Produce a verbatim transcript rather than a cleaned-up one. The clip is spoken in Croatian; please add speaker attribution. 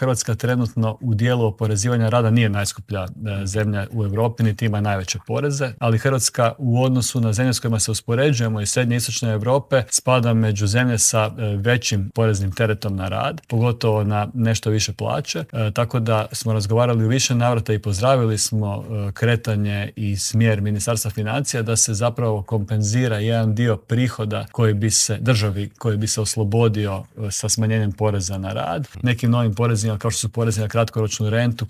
Speaker 1: Hrvatska trenutno u dijelu oporezivanja rada nije najskuplja zemlja u Europi, niti ima najveće poreze, ali Hrvatska u odnosu na zemlje s kojima se uspoređujemo iz srednje i istočne Europe spada među zemlje sa većim poreznim teretom na rad, pogotovo na nešto više plaće, e, tako da smo razgovarali u više navrata i pozdravili smo e, kretanje i smjer Ministarstva financija da se zapravo kompenzira jedan dio prihoda koji bi se državi, koji bi se oslobodio e, sa smanjenjem poreza na rad, nekim novim porezima kao što su porezi na kratkoročnu rentu